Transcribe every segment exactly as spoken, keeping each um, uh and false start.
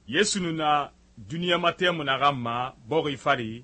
Yesu nu na duniɲa ma tɛmui naxan ma bɔxi fari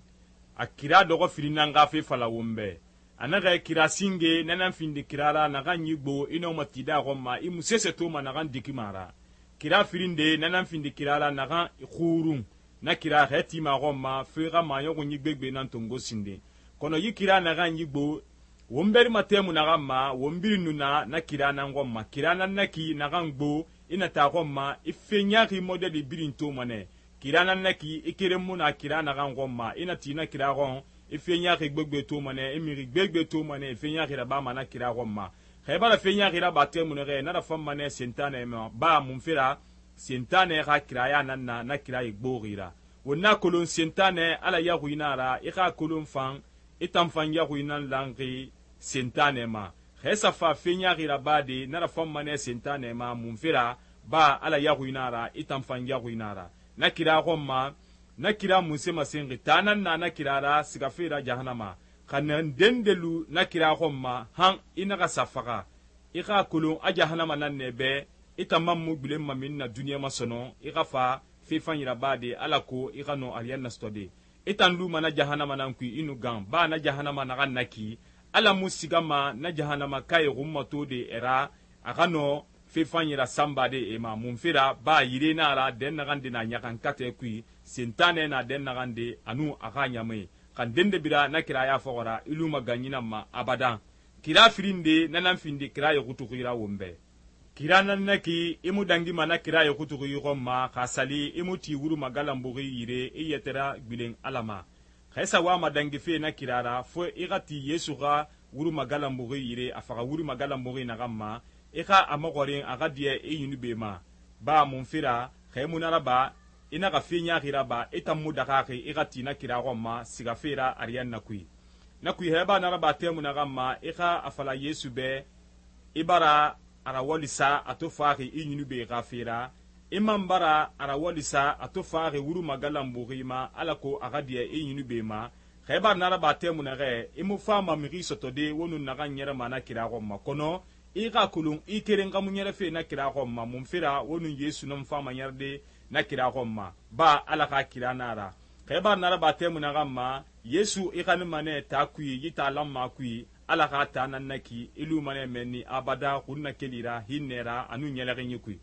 a kira dɔxɔ firin nan xa fe fala won bɛ. A naxɛ kira singe na nan findi kira ra naxan yi gbo i nɔma tide a xɔn ma i mu sese toma naxan dikima a ra. Kira firin de na nan findi kira ra naxan xurun na kira xɛ tima a xɔn ma fe xa maɲɔxun yi gbegbe nan tongo sinden. Kɔnɔ yi kira naxan yi gbo won berima tɛmui naxan ma won birin nu na na kira nan xɔn ma. Kira nan na ki naxan gbo i na ta xɔn ma i fe ɲaxi modeli birin toma nɛ. Kira nan na ki i keren mu na kira naxan xɔn ma i na ti na kira xɔn i fe ɲaxi gbegbe toma nɛ i mixi gbegbe toma nɛ i fe ɲaxi rabama na kira xɔn ma. Xa i bara fe ɲaxi raba tɛmui nɛxɛ na rafanma nɛ sentanɛ ma ba mun fera sentanɛ xa kiraya nan na na kira yi gboxi ra. Won na kolon sentanɛ ala yaxui na ra i xa kolon fan i tan fan yaxui nan lanxi sentanɛ ma. Xa i sa fa fe ɲaxi raba de na rafanma nɛ sentanɛ ma mun fera ba ala yaxui na ra i tan fan yaxui na ra. Na kira xɔn ma na kira munse masenxi ta nan na na kira ra sigafe ra jahanama. Xa nan dendelu na kira xɔn ma han i naxa sa faxa i xa kolon a jahanama nan nɛ bɛ i tan man mu gbilenma min na duniɲa ma sɔnɔ i xa fa fe fan yiraba de ala ko i xa nɔ ariyanna sɔtɔde. I tan luma na jahanama nan kui i nu gan ba na jahanama naxan na ki ala mu sigama na jahanama kaye xunmato de era a xa nɔ fe fan yira samba de e ma mun fera ba yire na ra den naxan de na ɲaxan kate kui sentanɛ na den naxan de anu a xa ɲamaye xan den de bira na kira ya fɔxɔra i luma ganɲinan ma abadan. Kira firin de na nan findi kira yoxutuxuira won bɛ. Kira nan na ki i mu dangima na kira yoxutuxui xɔn ma xa sali i mu ti wuru magalanbuxi yire i yɛtɛra gbilen ala ma. Xa i sa wama dangife na kira ra fo i xa ti Yesu xa wuru magalanbuxi yire a faxa wuru magalanbuxi naxan ma i xa a maxɔrin a xa diɲɛ i yunube ma. Ba mun fera xa i mu na raba i naxa fe ɲaxi raba i tan mu daxaxi i xa ti na kira xɔn ma sigafe ra ariyanna kui. Na kui xa i ba na raba tɛmui naxan ma i xa a fala Yesu bɛ i bara a rawalisa a to faxi i yunube xa fe ra i man bara a rawalisa a to faxi wuru magalanbuxi ma alako a xa diɲɛ i yunube ma. Xa i bara na raba tɛmui naxɛ i mu fama mixi sɔtɔde wo nun naxan ɲɛrɛma na kira xɔn ma kɔnɔ i xa kolon i keren xa mu ɲɛrɛfe na kira xɔn ma mun fera wo nun Yesu nan fama ɲɛrɛde na kira xɔn ma ba ala xa kira na ra. Xa i bara na raba tɛmui naxan ma Yesu i xaninma nɛ ta kui yi ta lanma kui ala xa ta nan na ki i luma nɛ mɛn ni abada xun na kelira hinnɛ ra anu ɲɛlɛxinyi kui.